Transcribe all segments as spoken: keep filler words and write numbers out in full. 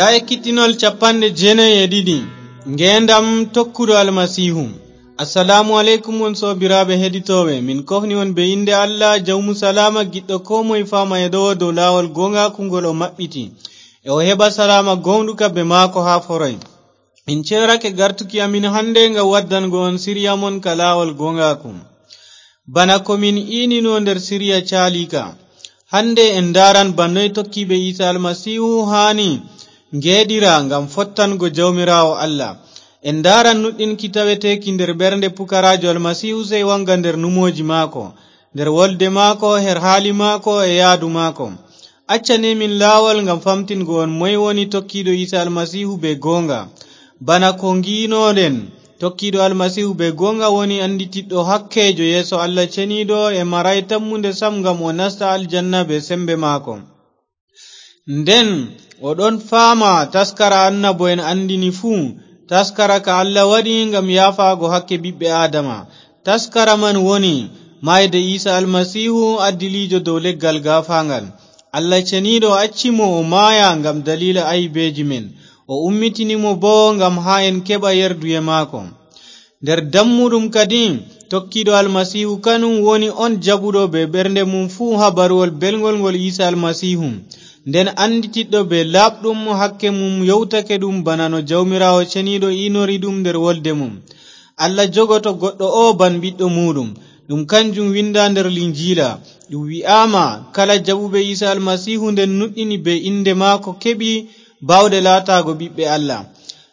Aya kittinol capanɗe jeenayi e ɗiɗi. Ngeendam tokkuɗo Almasiihu. Assalaamu aleykum, on soobiraaɓe heɗitooɓe. Min kofni on be innde Allah, Jawmu Salaama, giɗɗo koo moye faama e ɗo dow laawol gooŋgaaku ngol o maɓɓiti, e o heɓa salaama gooŋɗuka be maako haa foroy. En ceerake gartuki amin hannde ngam waddango on siriya mon ka laawol gooŋgaaku. Bana ko min iinino nder siriya caaliika, hannde en ndaaran bana noy tokkiiɓe Iisa Almasiihu haani ngeeɗira ngam fottango Jawmiraawo Allah. En ndaaran nuɗɗinki taweteeki nder ɓernde pukaraajo Almasiihu sey waŋga nder numooji maako, nder wolde maako, her haali maako e yaadu maako. Accane min laawol ngam famtingo on moy woni tokkiiɗo Iisa Almasiihu be gooŋga. Bana ko ngi'inoɗen, tokkiiɗo Almasiihu be gooŋga woni annditiɗɗo hakkeejo yeeso Allah Ceniiɗo e maraay tammunde sam ngam o nasta aljanna be sembe maako. Nden o ɗon faama taskara annabo'en anndini fuu, taskara ka Allah waɗi ngam yaafaago hakke ɓiɓɓe Aadama. Taskara man woni maayde Iisa Almasiihu, addiliijo dow leggal gaafaaŋgal. Allah Ceniiɗo acci mo o maaya ngam daliila aybeeji men. O ummitini mo boo ngam haa en keɓa yerduye maako. Nder dammuɗum kadi, tokkiiɗo Almasiihu kanum woni on jaɓuɗo be ɓernde mum fuu habaruwol belŋgol ngol Iisa Almasiihu, nden annditiɗɗo be laaɓɗum hakke mum yowtake ɗum bana no Jawmiraawo Ceniiɗo iinori ɗum nder wolde mum. Allah jogoto goɗɗo o ban ɓiɗɗo muuɗum. Ɗum kanjum winda nder Linjiila. Ɗum wi'aama, kala jaɓuɓe Iisa Almasiihu nden nuɗɗini be innde maako keɓi baawɗe laataago ɓiɓɓe Allah.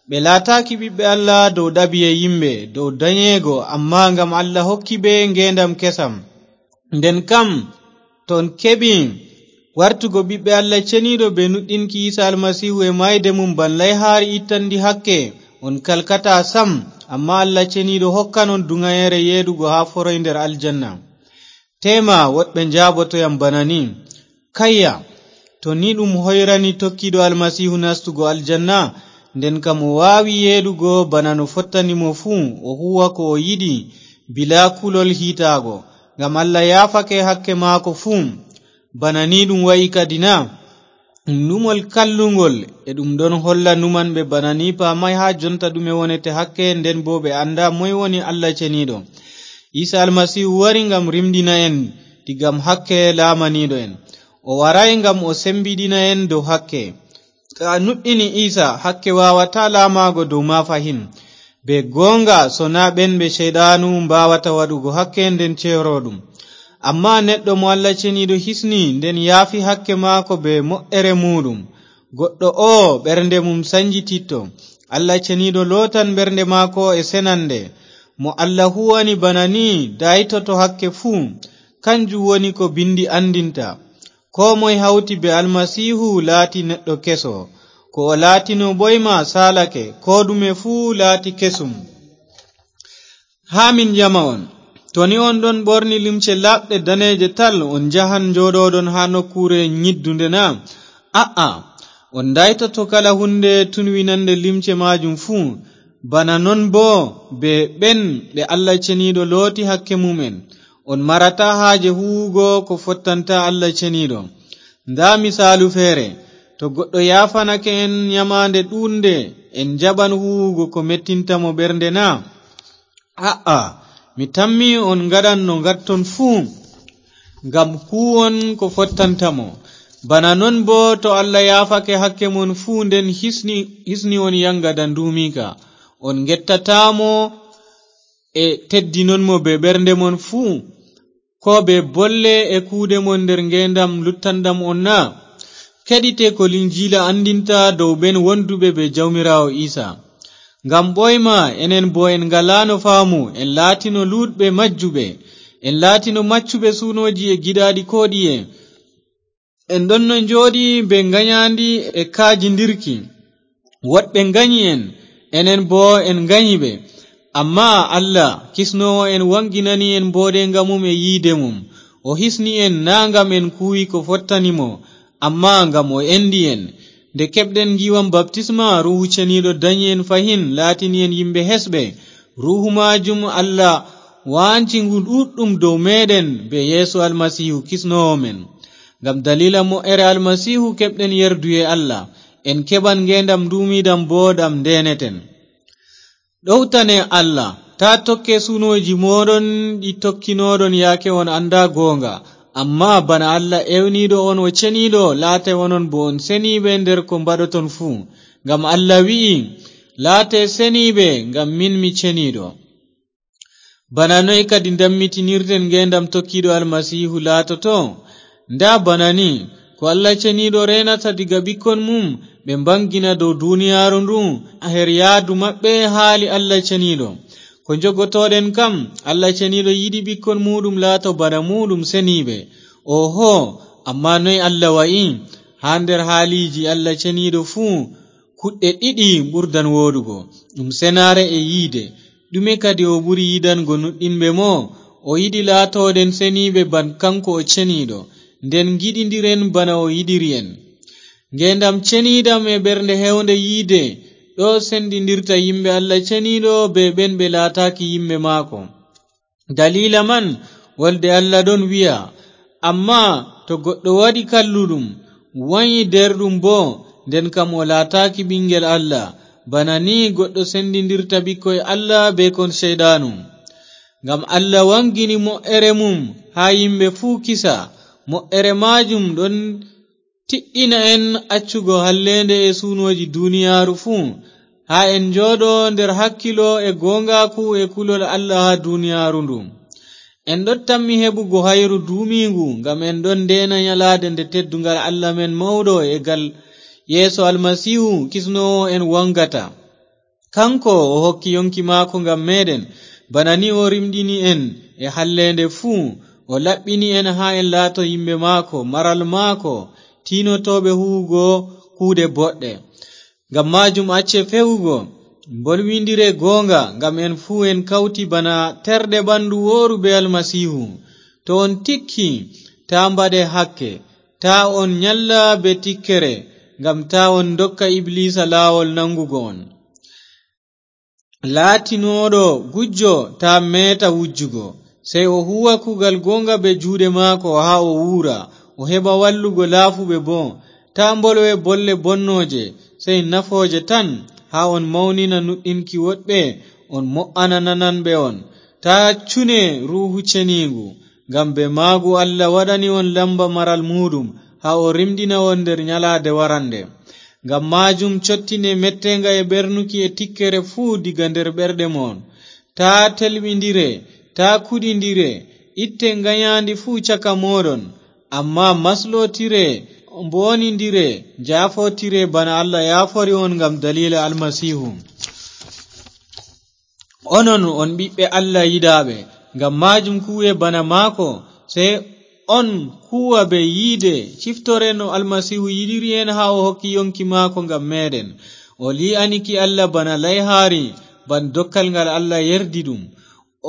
Ɓe laataaki ɓiɓɓe Allah dow ɗabi'e yimɓe, dow danyeego, ammaa ngam Allah hokki ɓe ngeendam kesam. Nden kam, to on keɓi wartugo ɓiɓɓe Allah Ceniiɗo be nuɗɗinki Iisa Almasiihu e maayde mum ban layhaari ittanndi hakke, on kalkataa sam, ammaa Allah Ceniiɗo hokkan on duŋayeere yeeɗugo haa foroy nder aljanna. Teema woɗɓe njaaboto yam bana ni, kayya, to ni ɗum hoyrani tokkiiɗo Almasiihu nastugo aljanna, nden kam o waawi yeeɗugo bana no fottani mo fuu, o huuwa ko o yiɗi, bilaa kulol hiitaago, ngam Allah yaafake hakke maako fuu. Bana ni ɗum wa'i kadi na? Ɗum numol kalluŋgol, e ɗum ɗon holla numanɓe bana ni paamay haa jonta ɗume wonete hakke, nden boo ɓe anndaa moy woni Allah Ceniiɗo. Iisa Almasiihu wari ngam rimɗina en diga hakke laamaniiɗo en. O waraay ngam o sembiɗina en dow hakke. To a nuɗɗini Iisa, hakke waawataa laamaago dow ma fahin. Be gooŋga, sonaa ɓen ɓe Ceyɗaanu mbaawata waɗugo hakke nden ceero ɗum. Ammaa neɗɗo mo Allah Ceniiɗo hisni, nden yaafi hakke maako be mo'ere muuɗum. Goɗɗo oo, ɓernde mum sanjititto. Allah Ceniiɗo lootan ɓernde maako e senande. Mo Allah huwani bana ni, daytoto hakke fuu. Kanjum woni ko Bindi anndinta. Koo moy hawti be Almasiihu laati neɗɗo keso. Ko o laatino ɓoyma saalake, koo ɗume fuu laati kesum. Haa min ƴama on, to ni on ɗon ɓorni limce laaɓɗe daneeje tal, on njahan njooɗoɗon haa nokkuure nyiddunde na? A'a, on daytoto kala huunde tunwinannde limce maajum fuu. Bana non boo be ɓen ɓe Allah Ceniiɗo looti hakke mum'en. On marataa haaje huuwugo ko fottanta Allah Ceniiɗo. Ndaa misaalu feere, to goɗɗo yaafanake en nyamaande ɗuuɗnde, en njaɓan huuwugo ko mettinta mo ɓernde na? A'a, mi tammi on ngaɗan no ngatton fuu, ngam huuwon ko fottanta mo. Bana non boo, to Allah yaafake hakke mon fuu, nden hisni, hisni on yaŋga nduumiika. On ngettataa mo e teddinon mo be ɓernde mon fuu, koo be bolle e kuuɗe mon nder ngeendam luttanɗam on na? Keɗite ko Linjiila anndinta dow ɓen wonduɓe be Jawmiraawo Iisa. Ngam ɓooyma, enen boo en ngalaano faamu, en laatino luutɓe majjuɓe, en laatino maccuɓe suunooji e giɗaaɗi koo ɗiye. En ɗonno njooɗi be nganyaandi e kaajindirki. Woɗɓe nganyi en, enen boo en nganyi ɓe. Ammaa Allah, kisnoowo en, waŋginani en mbooɗeeŋga mum e yiide mum. O hisni en naa ngam en kuuwi ko fottani mo, ammaa ngam o enɗi en. Nde keɓɗen ngiiwam baptisma, Ruuhu Ceniiɗo danyi en fahin, laatini en yimɓe hesɓe. Ruuhu maajum Allah waanci ngu ɗuuɗɗum dow meeɗen bee Yeesu Almasiihu, kisnoowo men. Ngam daliila mo'ere Almasiihu keɓɗen yerduye Allah. En keɓan ngeendam nduumiiɗam boo ɗam ndeeneten. Ɗowtane Allah, taa tokke sunooji mooɗon ɗi tokkinooɗon yaake on anndaa goonga. Ammaa bana Allah ewniiɗo on o ceniiɗo, laate onon boo on seniiɓe nder ko mbaɗoton fuu. Ngam Allah wi'i, "Laate seniiɓe, ngam min mi ceniiɗo." Bana noy kadi ndammitinirten ngeendam tokkiiɗo Almasiihu laatoto? Ndaa bana ni, ko Allah ceniiɗo reenata diga ɓikkon mum, ɓe mbaŋgina dow duniyaaru ndu, her yaadu maɓɓe haali Allah ceniiɗo. Ko njogotooɗen kam, Allah ceniiɗo yiɗi ɓikkon muuɗum laato bana muuɗum seniiɓe. Oho, ammaa noy Allah wa'i? Haa nder haaliiji Allah ceniiɗo fuu, kuɗɗe ɗiɗi ɓurdan wooɗugo, ɗum senaare e yiide. Ɗume kadi o ɓuri yiɗango nuɗɗinɓe mo? O yiɗi laatooɗen seniiɓe ban kanko o ceniiɗo, nden ngiɗindiren bana o yiɗiri en. Ngeendam ceniiɗam e ɓernde heewnde yiide ɗo sendindirta yimɓe Allah ceniiɗo bee ɓen ɓe laataaki yimɓe maako. Daliila man, wolde Allah ɗon wi'a, "Ammaa to goɗɗo waɗi kalluɗum, wanyi deerɗum boo, nden kam o laataaki ɓiŋngel Allah." Bana ni goɗɗo sendindirta ɓikkoy Allah bee kon Ceyɗaanu. Ngam Allah waŋgini mo'ere mum haa yimɓe fuu kisa, mo'ere maajum ɗon tiɗɗina en accugo halleende e suunooji duniyaaru fuu, haa en njooɗo nder hakkilo e gooŋgaaku e kulol Allah haa duniyaaru ndu. En ɗon tammi heɓugo hayru duumiiŋgu, ngam en ɗon ndeena nyalaade nde tedduŋgal Allah men mawɗo e gal Yeesu Almasiihu, Kisnoowo en, waŋgata. Kaŋko o hokki yoŋki maako ngam meeɗen, bana ni o rimɗini en e halleende fuu, o laɓɓini en haa en laato yimɓe maako, maral maako, tiinotooɓe huuwugo kuuɗe boɗɗe. Ngam maajum acce fewugo, mbolwindire gooŋga, ngam en fuu en kawti bana terɗe ɓandu wooru bee Almasiihu. To on tikki, taa mbaɗe hakke, taa on nyalla bee tikkere, ngam taa on ndokka Ibliisa laawol naŋgugo on. Laatinooɗo gujjo taa meeta wujjugo, sey o huuwa kuugal gooŋga bee juuɗe maako haa o wuura, o heɓa wallugo laafuɓe boo. Taa mbolwe bolle bonnooje, sey nafooje tan, haa on mawnina nuɗɗinki woɗɓe, on mo'ana nananɓe on. Taa cune Ruuhu Ceniiŋgu, ngam bee maagu Allah waɗani on lamba maral muuɗum, haa o rimɗina on nder nyalaade warannde. Ngam maajum cottine metteeŋga e ɓernuki e tikkere fuu diga nder ɓerɗe mon. Taa telɓindire, taa kuɗindire, itte nganyaandi fuu caka mooɗon, ammaa maslotire, mboonindire, njaafotire bana Allah yaafori on ngam daliila Almasiihu. Onon on ɓiɓɓe Allah yiɗaaɓe, ngam maajum kuuwe bana maako, sey on kuuwa bee yiide, ciftore no Almasiihu yiɗiri en haa o hokki yoŋki maako ngam meeɗen. O lii'ani ki Allah bana layhaari, ban dokkal ngal Allah yerdi ɗum.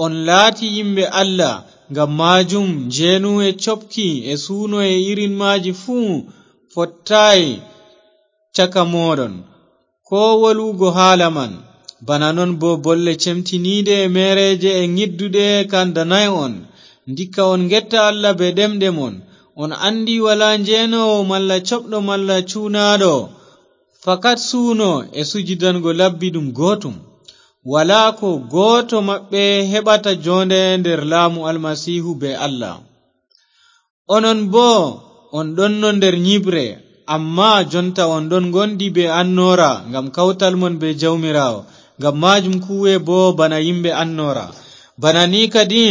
On laati yimɓe Allah, ngam maajum njeenu e coɓki e suuno e irin maaji fuu fottaay caka mooɗon. Koo wolwugo haala man, bana non boo bolle cemtiniiɗe e meereeje e ngidduɗe kandanaay on. Ndikka on ngetta Allah bee ɗemɗe mon. On anndi walaa njeenoowo malla coɓɗo malla cuunaaɗo, fakat suuno e sujidango labbi ɗum gootum. Walaa ko gooto maɓɓe heɓata joonde nder laamu Almasiihu bee Allah. Onon boo on ɗonno nder nyiɓre, ammaa jonta on ɗon ngondi bee annoora ngam kawtal mon bee Jawmiraawo. Ngam maajum kuuwe boo bana yimɓe annoora. Bana ni kadi,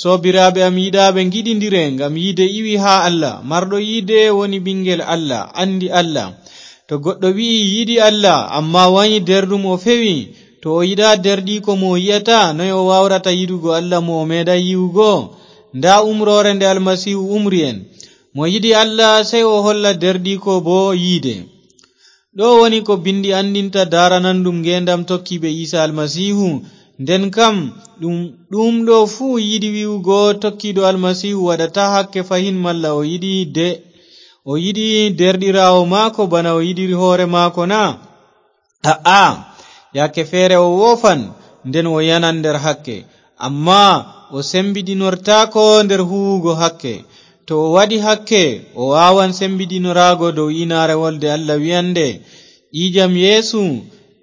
soobiraaɓe am yiɗaaɓe, ngiɗindire ngam yiide iwi haa Allah. Marɗo yiide woni ɓiŋngel Allah, anndi Allah. To goɗɗo wi'i yiɗi Allah, ammaa wanyi deerɗum, o fewi. To o yiɗaa deerɗiiko mo o yi'ata, noy o waawrata yiɗugo Allah mo o meeɗaay yi'ugo? Ndaa umroore nde Almasiihu umri en. Mo yiɗi Allah, sey o holla deerɗiiko boo yiide. Ɗo woni ko Binndi anndinta daarananɗum ngeendam tokkiiɓe Iisa Almasiihu. Nden kam, ɗum, ɗum ɗo fuu yiɗi wi'ugo tokkiiɗo Almasiihu waɗataa hakke fahin malla o yiɗi de-, o yiɗi deerɗiraawo maako bana o yiɗiri hoore maako na? A'a, yaake feere o woofan, nden o yanan nder hakke. Ammaa o sembiɗinortaako nder huuwugo hakke. To o waɗi hakke, o waawan sembiɗinoraago dow iinaare wolde Allah wi'annde, Ƴiiƴam Yeesu,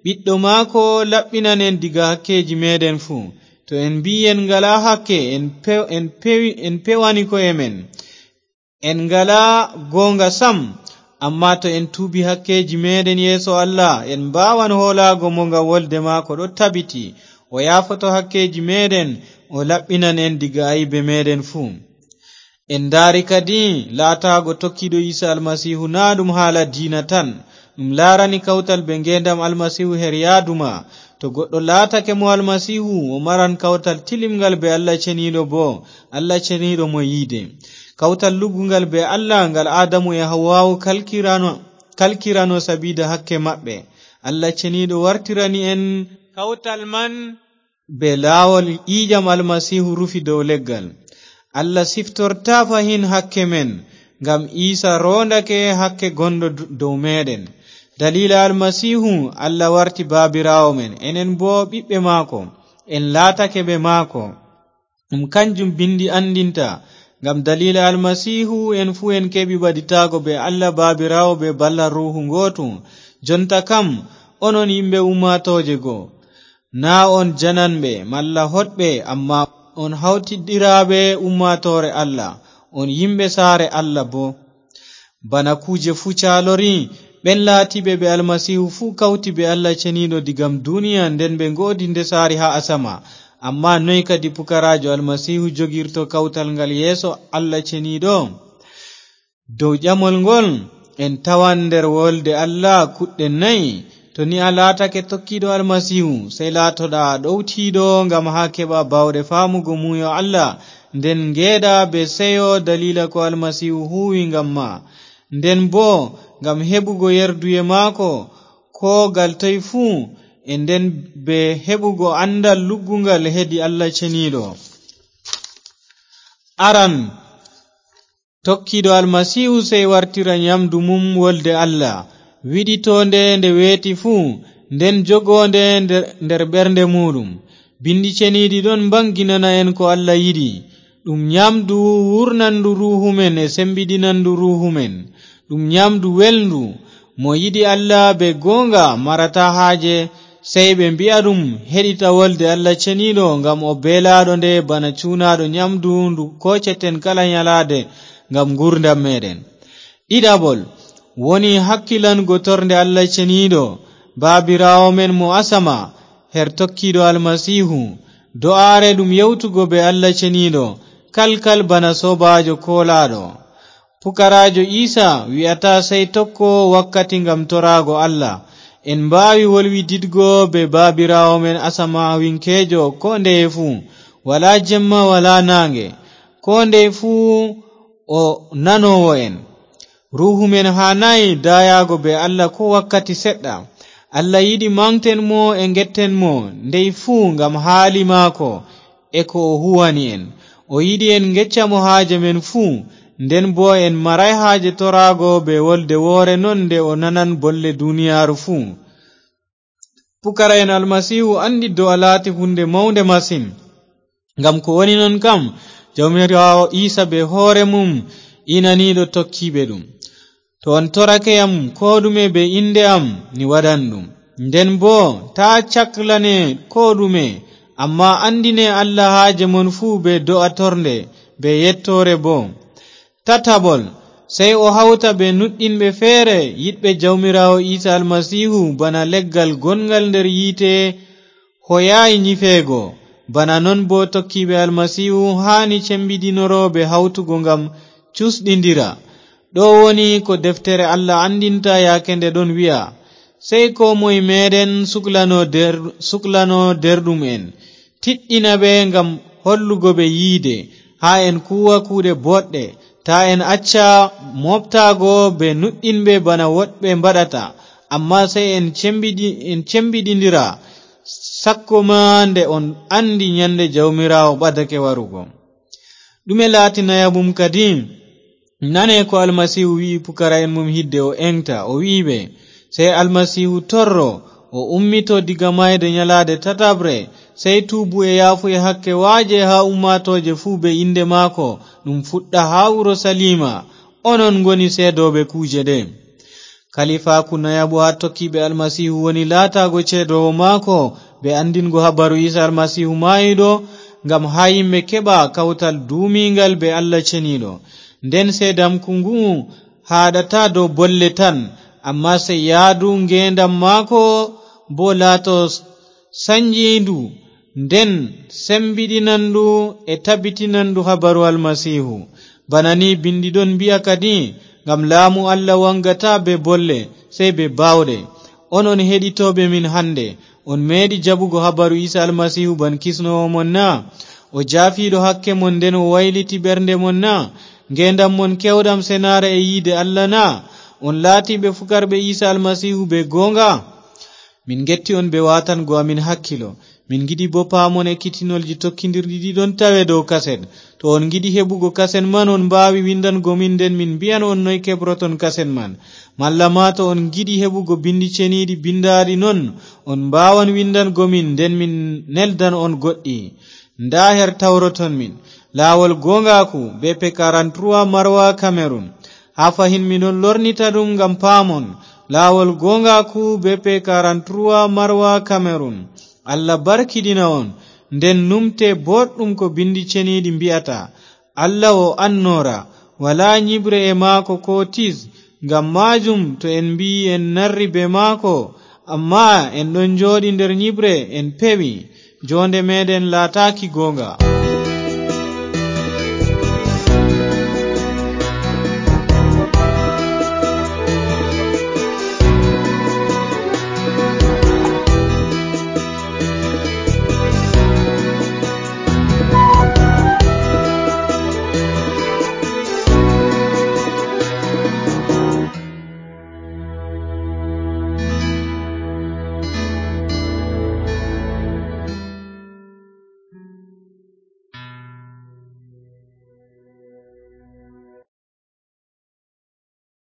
ɓiɗɗo maako, laɓɓinan en diga hakkeeji meeɗen fuu. To en mbi'i en ngalaa hakke, en pew-, en pewi-, en pewani ko'e men. En ngalaa goonga sam, ammaa to en tuubi hakkeeji meeɗen yeeso Allah, en mbaawan hoolaago mo ngam wolde maako ɗo tabiti. O yaafoto hakkeeji meeɗen, o laɓɓinan en diga aybe meeɗen fuu. En ndaari kadi, laataago tokkiiɗo Iisa Almasiihu naa ɗum haala diina tan. Ɗum laarani kawtal bee ngeendam Almasiihu her yaadu ma. To goɗɗo laatake mo Almasiihu, o maran kawtal tilimngal bee Allah Ceniiɗo boo, Allah Ceniiɗo mo yiide. Kawtal luggungal bee Allah, ngal Aadamu e Hawwaawu kalkirano, kalkirano sabiida hakke maɓɓe. Allah Ceniiɗo wartirani en kawtal man bee laawol ƴiiƴam Almasiihu rufi dow leggal. Allah siftortaa fahin hakke men, ngam Iisa roondake hakke gonɗo d-, dow meeɗen. Daliila Almasiihu, Allah warti Baabiraawo men, enen boo ɓiɓɓe maako, en laatake ɓe maako. Ɗum kanjum Binndi anndinta, ngam daliila Almasiihu en fuu en keɓi ɓaditaago bee Allah Baabiraawo bee ballal Ruuhu ngootu. Jonta kam, onon yimɓe ummaatooje go. Naa on jananɓe malla hoɗɓe, ammaa on hawtiɗɗiraaɓe ummaatoore Allah, on yimɓe saare Allah boo. Bana kuuje fuu caalori, ɓen laatiiɓe ɓe Almasiihu fuu kawti bee Allah Ceniiɗo digam duniya, nden ɓe ngoodi ndesaari haa asama. Ammaa noy kadi pukaraajo Almasiihu jogirto kawtal ngal yeeso Allah Ceniiɗo? Dow ƴamol ngol, en tawan nder wolde Allah kuɗɗe nayi. To ni a laatake tokkiiɗo Almasiihu, sey laatoɗa ɗowtiiɗo ngam haa keɓa baawɗe faamugo muuyo Allah, nden ngeeɗa bee seyo daliila ko Almasiihu huuwi ngam ma. Nden boo ngam heɓugo yerduye maako, koo gal toy fuu, e nden bee heɓugo anndal luggungal hedi Allah Ceniiɗo. Aran, tokkiiɗo Almasiihu sey wartira nyamndu mum wolde Allah, wiɗitoonde nde weeti fuu, nden jogoonde nder, nder ɓernde muuɗum. Binndi Ceniiɗi ɗon mbaŋginana en ko Allah yiɗi. Ɗum nyamndu wuurnanndu ruuhu men e semmbiɗinanndu ruuhu men. Ɗum nyamndu welndu. Mo yiɗi Allah bee gooŋga marataa haaje, sey ɓe mbi'a ɗum heɗita wolde Allah Ceniiɗo, ngam o beelaaɗo nde bana cuunaaɗo nyamndu ndu kooceten kala nyalaade ngam nguurndam meeɗen. Ɗiɗaɓol, woni hakkilango tornde Allah Ceniiɗo, Baabiraawo men mo asama, her tokkiiɗo Almasiihu. Do'aare ɗum yewtugo bee Allah Ceniiɗo, kalkal bana soobaajo koolaaɗo. Pukaraajo Iisa wi'ataa sey tokko wakkati ngam toraago Allah. En mbaawi wolwididgo bee Baabiraawo men asamaawiŋkeejo koo ndeye fuu, walaa jemma, walaa naaŋge. Koo ndeye fuu o nanoowo en. Ruuhu men haanaay daayaago bee Allah koo wakkati seɗɗa. Allah yiɗi maŋgten mo e ngetten mo ndey fuu ngam haali maako e ko o huuwani en. O yiɗi en ngecca mo haaje men fuu, nden boo en maraay haaje toraago bee wolde woore non nde o nanan bolle duniyaaru fuu. Pukara'en Almasiihu anndi do'a laati huunde mawnde masin. Ngam ko woni non kam, Jawmiraawo Iisa bee hoore mum inaniiɗo tokkiiɓe ɗum. To on torake yam koo ɗume bee innde am, mi waɗan ɗum. Nden boo, taa caklane koo ɗume, ammaa anndine Allah haaje mon fuu bee do'a tornde, bee yettoore boo. Tataɓol, sey o hawta bee nuɗɗinɓe feere, yiɗɓe Jawmiraawo Iisa Almasiihu, bana leggal gonngal nder yiite hoyaay nyifeego. Bana non boo tokkiiɓe Almasiihu haani cembiɗinoro bee hawtugo ngam cusɗindira. Ɗo woni ko deftere Allah anndinta yaake nde ɗon wi'a, sey koo moy meeɗen suklano der-, suklano derɗum en, tiɗɗina ɓe ngam hollugo ɓe yiide, haa en kuuwa kuuɗe boɗɗe, taa en acca mooɓtaago bee nuɗɗinɓe bana woɗɓe mbaɗata, ammaa sey en cembiɗi-, en cembiɗindira, sakko maa nde on anndi nyannde Jawmiraawo ɓadake warugo. Ɗume laati nayaɓum kadi? Nane ko Almasiihu wi'i pukara'en mum hidde o eŋgta, o wi'i ɓe, sey Almasiihu torro, o ummito diga maayde nyalaade tataɓre, sey tuubu e yaafuye hakke waaje haa ummaatooje fuu bee innde maako, ɗum fuɗɗa haa Urusaliima. Onon ngoni seedooɓe kuuje ɗe. Kalifaaku nayaɓo haa tokkiiɓe Almasiihu woni laataago ceedoowo maako, be anndingo habaru Iisa Almasiihu maayuɗo, ngam haa yimɓe keɓa kawtal duumiiŋgal be Allah ceniiɗo. Nden seedamku ngu'u haaɗataa dow bolle tan, ammaa sey yaadu ngeendam maako boo laato sanjiindu, nden sembiɗinandu e tabitinandu habaru Almasiihu. Bana ni bindi ɗon mbi'a kadi, ngam laamu Allah waŋgataa bee bolle, sey bee baawɗe. On on heɗitooɓe min hannde, on meeɗi jaɓugo habaru Iisa Almasiihu ban kisnoowo mon na? O jaafiiɗo hakke mon, nden o wayliti ɓernde mon na? Ngeendam mon kewɗam senaare e yiide Allah na? On laatiiɓe fukarɓe Iisa Almasiihu bee gooŋga? Min ngetti on bee waatango amin hakkilo. Min ngiɗi boo paamon ekkitinolji tokkindirɗi ɗi ɗon tawe dow kaset. To on ngiɗi heɓugo kaset man, on mbaawi windango min, nden min mbi'an on noy keɓroton kaset man. Malla maa to on ngiɗi heɓugo bindi ceniiɗi bindaaɗi non, on mbaawan windango min, nden min neldan on goɗɗi. Ndaa her tawroton min. Laawol gooŋgaaku, B P quarante-trois, Marwa, Cameroun. Haa fahin mi ɗon lornita ɗum ngam paamon. Laawol gooŋgaaku, B P quarante-trois, Marwa, Cameroun. Allah barkiɗina on. Nden numte booɗɗum ko bindi ceniiɗi mbi'ata. Allah o annoora, walaa nyiɓre e maako koo tiis. Ngam maajum, to en mbi'i en narri bee maako, ammaa en ɗon njooɗi nder nyiɓre, en pewi, joonde meeɗen laataaki gooŋga.